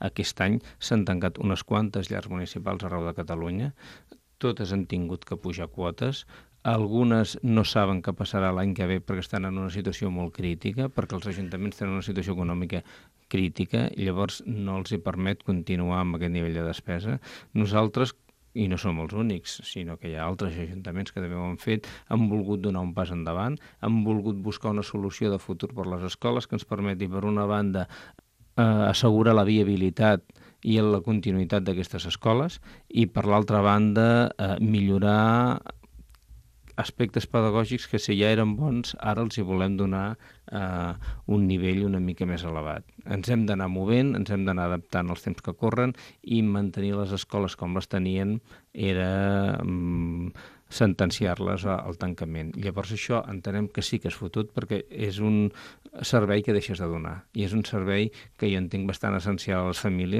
Aquest any s'han tancat unes quantes llars municipals arreu de Catalunya, totes han tingut que pujar quotes, algunes no saben què passarà l'any que ve perquè estan en una situació molt crítica, perquè els ajuntaments tenen una situació econòmica crítica i llavors no els hi permet continuar amb aquest nivell de despesa. Nosaltres, i no som els únics, sinó que hi ha altres ajuntaments que també ho han fet, han volgut donar un pas endavant, han volgut buscar una solució de futur per les escoles que ens permeti, per una banda, assegurar la viabilitat i la continuïtat d'aquestes escoles i, per l'altra banda, millorar aspectes pedagògics que, si ja eren bons, ara els hi volem donar un nivell una mica més elevat. Ens hem d'anar movent, ens hem d'anar adaptant als temps que corren i mantenir les escoles com les tenien era sentenciar-les al tancament. Llavors això entenem que sí que és fotut perquè és un servei que deixes de donar i és un servei que jo entenc bastant essencial a les famílies